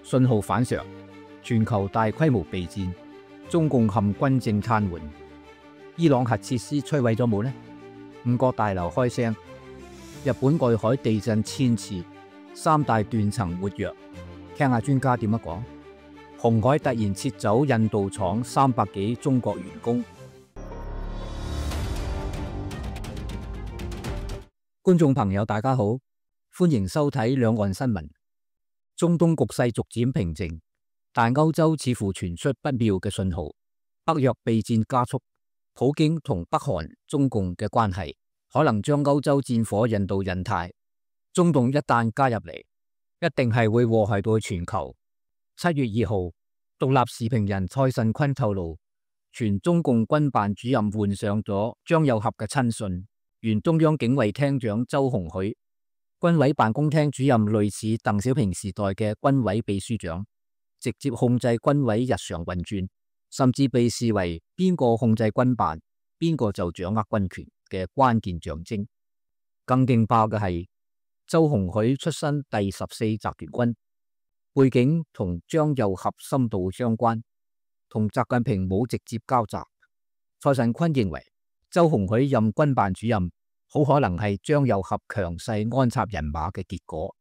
信號反常，全球大規模備戰，中共陷軍政癱瘓。伊朗核設施摧毀咗冇呢？五角大樓開聲，日本外海地震1000次，三大斷層活躍。聽下專家點樣講。鴻海突然撤走印度廠300幾中國員工。觀眾朋友大家好，歡迎收睇兩岸新聞。中東局勢逐漸平靜，但歐洲似乎傳出不妙嘅信號，北約備戰加速，普京同北韓、中共嘅關係可能將歐洲戰火引到印太。中共一旦加入嚟，一定係會禍害到全球。7月2號，獨立時評人蔡慎坤透露，前中共軍辦主任換上咗張又俠嘅親信，原中央警衛廳長周鴻許，軍委辦公廳主任類似鄧小平時代嘅軍委秘書長，直接控制軍委日常運轉，甚至被視為邊個控制軍辦，邊個就掌握軍權嘅關鍵象徵。更勁爆嘅係，周鴻許出身第14集團軍，背景同張又俠深度相關，同習近平冇直接交集。蔡慎坤認為，周鴻許任軍辦主任，好可能係張又俠強勢安插人馬嘅結果。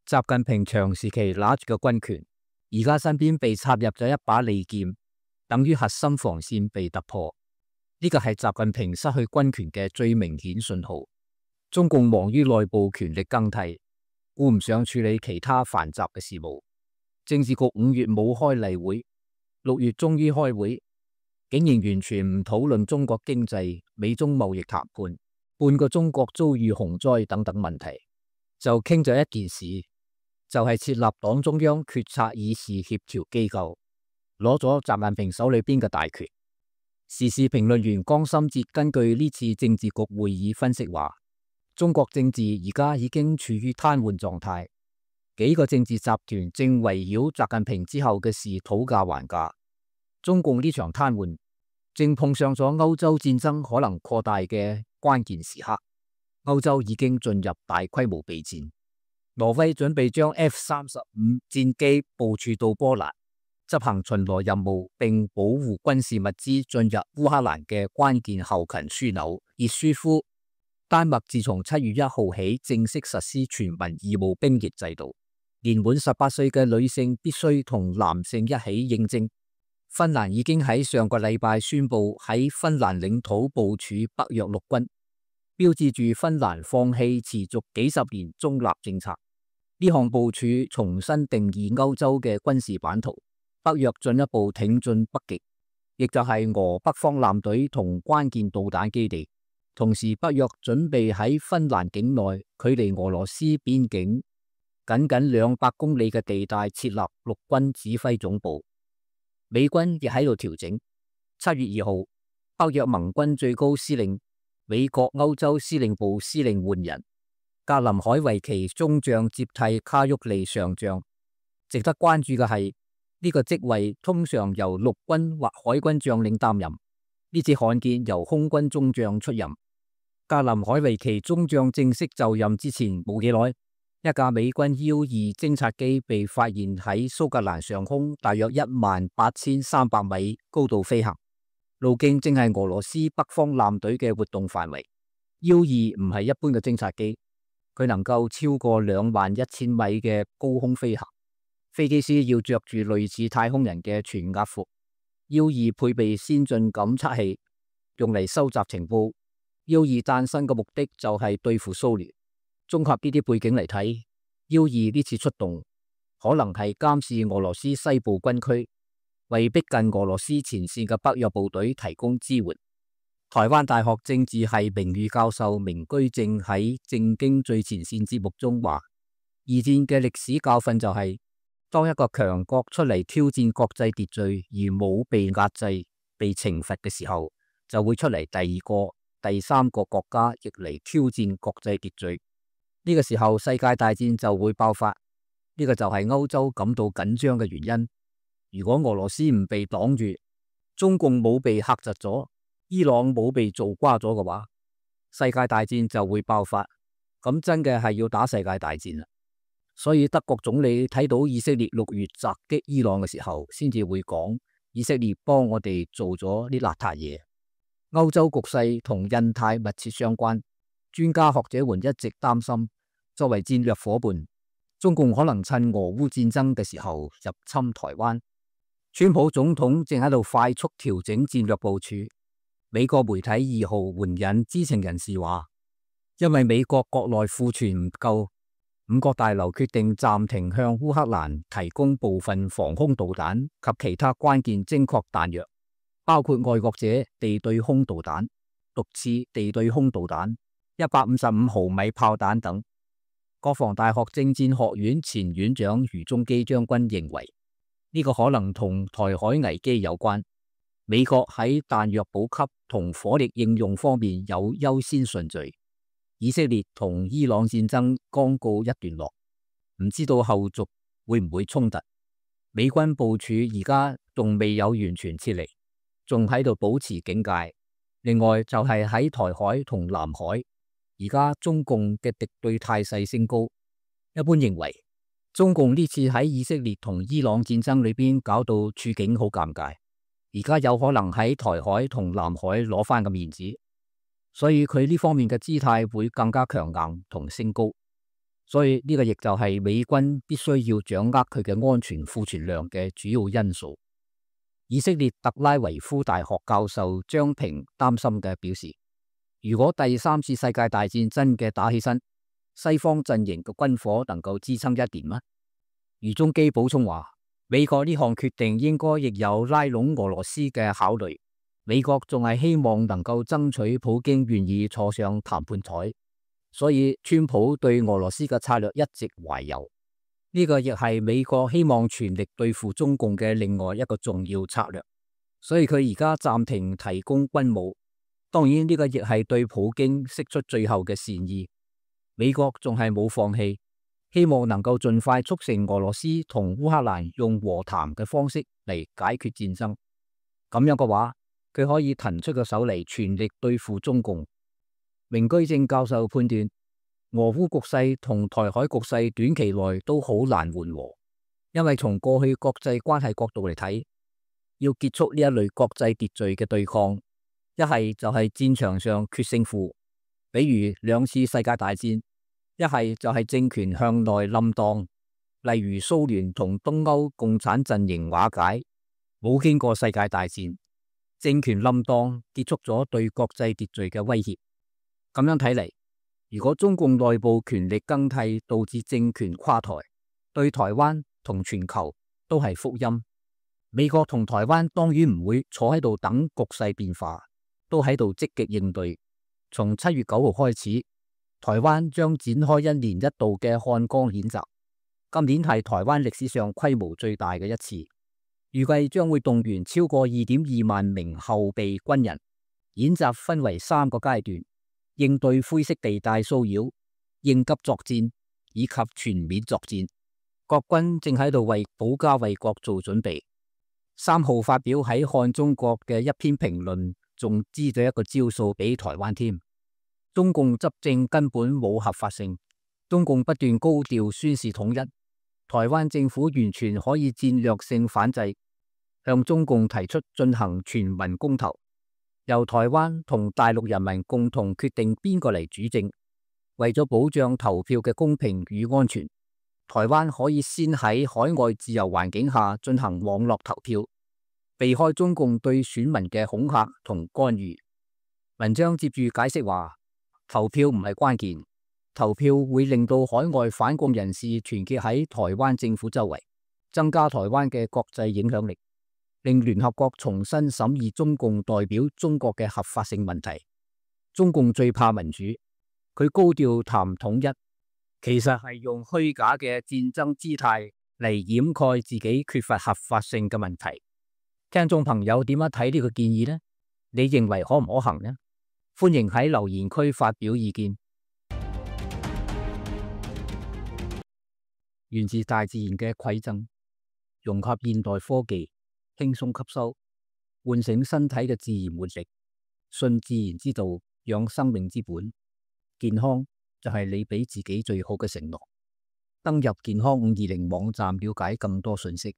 習近平長時期拿住個軍權，而家身邊被插入咗一把利劍，等於核心防線被突破。呢個係習近平失去軍權嘅最明顯信號。中共忙於內部權力更替，顧唔上處理其他繁雜嘅事務。政治局5月冇開例會，6月終於開會，竟然完全唔討論中國經濟、美中貿易談判、半個中國遭遇洪災等等問題，就傾咗一件事，就係設立黨中央決策議事協調機構，攞咗習近平手裏邊嘅大權。時事評論員江心哲根據呢次政治局會議分析話，中國政治而家已經處於癱瘓狀態，幾個政治集團正圍繞習近平之後嘅事討價還價。中共呢場癱瘓正碰上咗歐洲戰爭可能擴大嘅關鍵時刻。歐洲已經進入大規模備戰，挪威準備將 F-35戰機部署到波蘭，執行巡邏任務並保護軍事物資進入烏克蘭嘅關鍵後勤樞紐熱舒夫。丹麥自從7月1號起正式實施全民義務兵役制度，年滿18歲嘅女性必須同男性一起應徵。芬蘭已經喺上個禮拜宣布喺芬蘭領土部署北約陸軍，標誌住芬蘭放棄持續幾十年中立政策。呢項部署重新定義歐洲嘅軍事版圖，北約進一步挺進北極，亦就係俄北方艦隊同關鍵導彈基地。同時，北約準備喺芬蘭境內距離俄羅斯邊境僅200公里嘅地帶設立陸軍指揮總部。美軍亦喺度調整。7月2號，北約盟軍最高司令、美國歐洲司令部司令換人，格林海維奇中將接替卡沃利上將。值得關注嘅係，呢個職位通常由陸軍或海軍將領擔任，呢次罕見由空軍中將出任。格林海維奇中將正式就任之前冇幾耐，一架美軍 U-2偵察機被發現喺蘇格蘭上空大約18300米高度飛行，路徑正係俄羅斯北方艦隊嘅活動範圍。U-2唔係一般嘅偵察機，佢能夠超過21000米嘅高空飛行，飛機師要着住類似太空人嘅全壓服。U-2配備先進感測器，用嚟收集情報。U-2誕生嘅目的就係對付蘇聯。綜合呢啲背景嚟睇，U-2呢次出動可能係監視俄羅斯西部軍區，為逼近俄羅斯前線嘅北約部隊提供支援。台灣大學政治系名譽教授明居正喺政經最前線節目中話，二戰嘅歷史教訓就係，當一個強國出嚟挑戰國際秩序而冇被壓制、被懲罰嘅時候，就會出嚟第二個、第三個國家亦嚟挑戰國際秩序。呢個時候世界大戰就會爆發。呢個就係歐洲感到緊張嘅原因。如果俄羅斯唔被擋住，中共冇被嚇窒咗，伊朗冇被做瓜咗嘅話，世界大戰就會爆發。咁真嘅係要打世界大戰啦。所以德國總理睇到以色列6月襲擊伊朗嘅時候，先至會講以色列幫我哋做咗啲邋遢嘢。歐洲局勢同印太密切相關，專家學者們一直擔心，作為戰略夥伴，中共可能趁俄烏戰爭嘅時候入侵台灣。川普總統正喺度快速調整戰略部署。美國媒體2號援引知情人士話，因為美國國內庫存唔夠，5角大樓決定暫停向烏克蘭提供部分防空導彈及其他關鍵精確彈藥，包括愛國者地對空導彈、毒刺地對空導彈、155毫米炮彈等。國防大學政戰學院前院長余中基將軍認為，呢個可能同台海危機有關。美國喺彈藥補給同火力應用方面有優先順序。以色列同伊朗戰爭剛告一段落，唔知道後續會唔會衝突。美軍部署而家仲未有完全撤離，仲喺度保持警戒。另外就係喺台海同南海，而家中共嘅敵對態勢升高。一般認為，中共呢次喺以色列同伊朗戰爭裏邊搞到處境好尷尬。而家有可能喺台海同南海攞翻個面子，所以佢呢方面嘅姿態會更加強硬同升高。所以呢個亦就係美軍必須要掌握佢嘅安全庫存量嘅主要因素。以色列特拉維夫大學教授張平擔心嘅表示，如果第3次世界大戰真嘅打起身，西方陣營嘅軍火能夠支撐一年嗎？余中基補充話，美國呢項決定應該亦有拉攏俄羅斯嘅考慮。美國仲係希望能夠爭取普京願意坐上談判台，所以川普對俄羅斯嘅策略一直懷柔。呢個亦係美國希望全力對付中共嘅另外一個重要策略。所以佢而家暫停提供軍武，當然呢個亦係對普京釋出最後嘅善意。美國仲係冇放棄，希望能夠盡快促成俄羅斯同烏克蘭用和談嘅方式嚟解決戰爭。咁樣嘅話，佢可以騰出個手嚟全力對付中共。明居正教授判斷，俄烏局勢同台海局勢短期內都好難緩和，因為從過去國際關係角度嚟睇，要結束呢一類國際秩序嘅對抗，一係就係戰場上決勝負，比如2次世界大戰；一係就係政權向內冧檔，例如蘇聯同東歐共產陣營瓦解，冇經過世界大戰，政權冧檔結束咗對國際秩序嘅威脅。咁樣睇嚟，如果中共內部權力更替導致政權垮台，對台灣同全球都係福音。美國同台灣當然唔會坐喺度等局勢變化，都喺度積極應對。從7月9號開始，台灣將展開1年1度嘅漢光演習，今年係台灣歷史上規模最大嘅一次，預計將會動員超過2.2萬名後備軍人。演習分為3個階段，應對灰色地帶騷擾、應急作戰以及全面作戰。國軍正喺度為保家衛國做準備。3號發表喺《漢中國》嘅一篇評論，仲支咗一個招數俾台灣添。中共執政根本冇合法性，中共不斷高調宣示統一，台灣政府完全可以戰略性反制，向中共提出進行全民公投，由台灣同大陸人民共同決定邊個嚟主政。為咗保障投票嘅公平與安全，台灣可以先喺海外自由環境下進行網絡投票，避開中共對選民嘅恐嚇同干預。文章接住解釋話，投票唔係關鍵，投票會令到海外反共人士團結喺台灣政府周圍，增加台灣嘅國際影響力，令聯合國重新審議中共代表中國嘅合法性問題。中共最怕民主，佢高調談統一，其實係用虛假嘅戰爭姿態嚟掩蓋自己缺乏合法性嘅問題。聽眾朋友點樣睇呢個建議呢？你認為可唔可行呢？歡迎喺留言區發表意見。源自大自然嘅饋贈，融合現代科技，輕鬆吸收，喚醒身體嘅自然活力，信自然之道，養生命之本。健康就係你俾自己最好嘅承諾。登入健康520網站了解更多信息。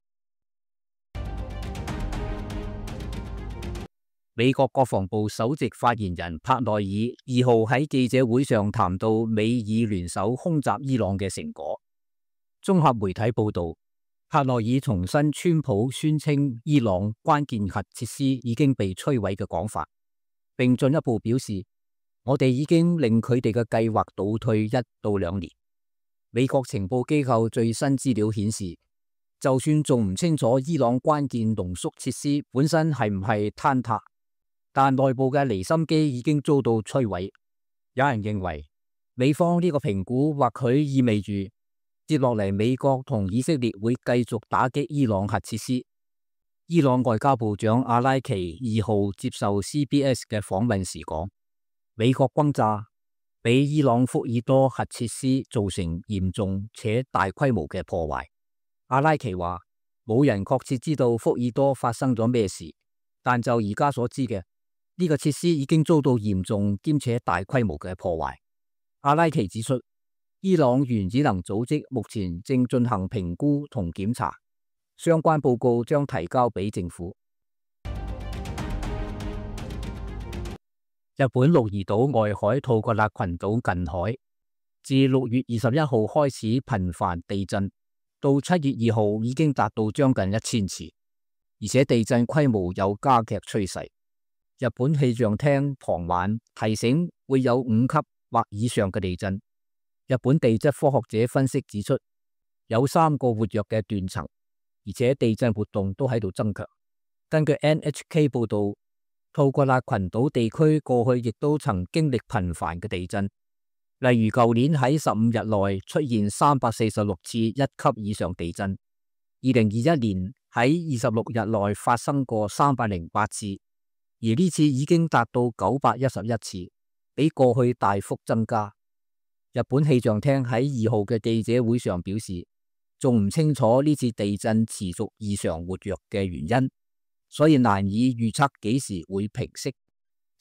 美國國防部首席發言人帕內爾2號喺記者會上談到美以聯手空襲伊朗嘅成果。綜合媒體報道，帕內爾重申川普宣稱伊朗關鍵核設施已經被摧毀嘅講法，並進一步表示，我哋已經令佢哋嘅計劃倒退1到2年。美國情報機構最新資料顯示，就算仲唔清楚伊朗關鍵濃縮設施本身係唔係坍塌，但內部嘅離心機已經遭到摧毀。有人認為，美方呢個評估或許意味住接落嚟美國同以色列會繼續打擊伊朗核設施。伊朗外交部長阿拉奇2號接受 CBS 嘅訪問時講，美國轟炸俾伊朗福爾多核設施造成嚴重且大規模嘅破壞。阿拉奇話，冇人確切知道福爾多發生咗咩事，但就而家所知嘅，呢個設施已經遭到嚴重兼且大規模嘅破壞。阿拉奇指出，伊朗原子能組織目前正進行評估同檢查，相關報告將提交俾政府。日本鹿兒島外海吐格納群島近海，自6月21號開始頻繁地震，到7月2號已經達到將近1000次，而且地震規模有加劇趨勢。日本氣象廳傍晚提醒會有5級或以上嘅地震。日本地質科學者分析指出，有3個活躍嘅斷層，而且地震活動都喺度增強。根據 NHK 報道，吐格納群島地區過去亦都曾經歷頻繁嘅地震，例如舊年喺15日內出現346次1級以上地震，2021年喺26日內發生過308次。而呢次已經達到911次，比過去大幅增加。日本氣象廳喺2號嘅記者會上表示，仲唔清楚呢次地震持續異常活躍嘅原因，所以難以預測幾時會平息。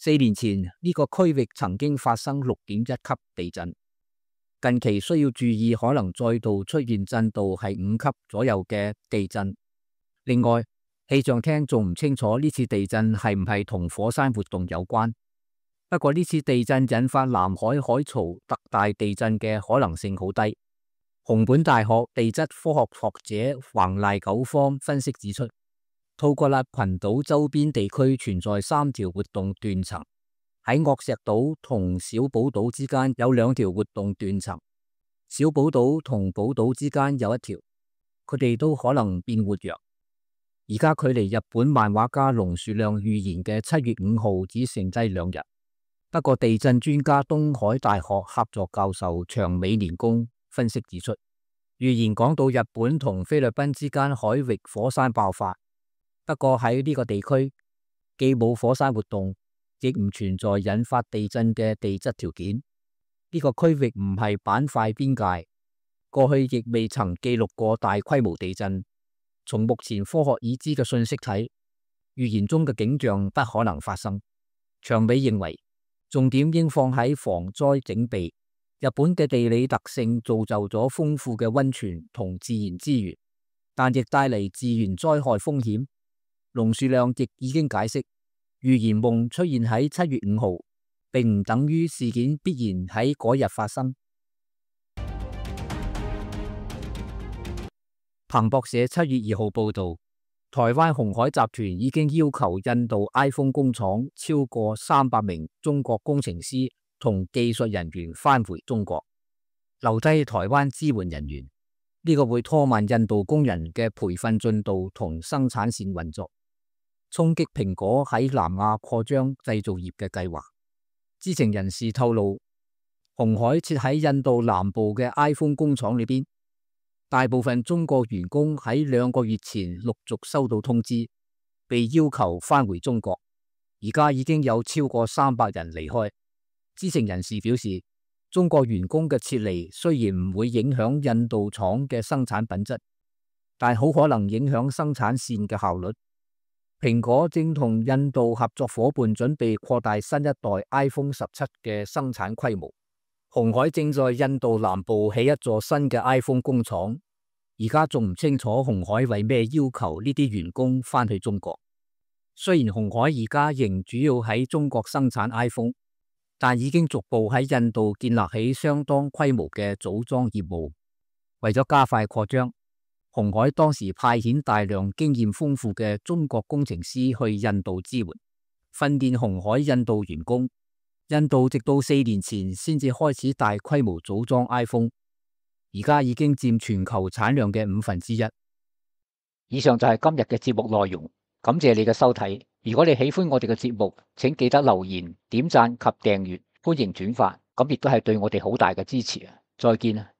4年前呢個區域曾經發生6.1級地震，近期需要注意可能再度出現震度係5級左右嘅地震。另外，氣象廳仲唔清楚呢次地震係唔係同火山活動有關。不過呢次地震引發南海海槽特大地震嘅可能性好低。熊本大學地質科學學者橫賴久方分析指出，吐格納群島周邊地區存在3條活動斷層，喺岳石島同小寶島之間有2條活動斷層，小寶島同寶島之間有1條，佢哋都可能變活躍。而家距離日本漫畫家龍樹亮預言嘅7月5號只剩低2日。不過地震專家東海大學客座教授長尾年公分析指出，預言講到日本同菲律賓之間海域火山爆發，不過喺呢個地區既冇火山活動，亦唔存在引發地震嘅地質條件。呢個區域唔係板塊邊界，過去亦未曾記錄過大規模地震。從目前科學已知嘅信息睇，預言中嘅景象不可能發生。長尾認為，重點應放喺防災整備。日本嘅地理特性造就咗豐富嘅溫泉同自然資源，但亦帶嚟自然災害風險。龍樹亮亦已經解釋，預言夢出現喺7月5號，並唔等於事件必然喺嗰日發生。彭博社7月2號報道，台灣鴻海集團已經要求印度 iPhone 工廠超過300名中國工程師同技術人員返回中國，留低台灣支援人員。呢個會拖慢印度工人嘅培訓進度同生產線運作，衝擊蘋果喺南亞擴張製造業嘅計劃。知情人士透露，鴻海設喺印度南部嘅 iPhone 工廠裏邊，大部分中國員工喺2個月前陸續收到通知，被要求返回中國。而家已經有超過300人離開。知情人士表示，中國員工嘅撤離雖然唔會影響印度廠嘅生產品質，但好可能影響生產線嘅效率。蘋果正同印度合作夥伴準備擴大新一代 iPhone 17嘅生產規模。鴻海正在印度南部起一座新嘅 iPhone 工廠，而家仲唔清楚鴻海為咩要求呢啲員工返去中國。雖然鴻海而家仍主要喺中國生產 iPhone，但已經逐步喺印度建立起相當規模嘅組裝業務。為咗加快擴張，鴻海當時派遣大量經驗豐富嘅中國工程師去印度支援，訓練鴻海印度員工。印度直到4年前先至開始大規模組裝 iPhone， 而家已經佔全球產量嘅1/5。以上就係今日嘅節目內容，感謝你嘅收睇。如果你喜歡我哋嘅節目，請記得留言、點讚及訂閱，歡迎轉發，咁亦都係對我哋好大嘅支持啊！再見啊！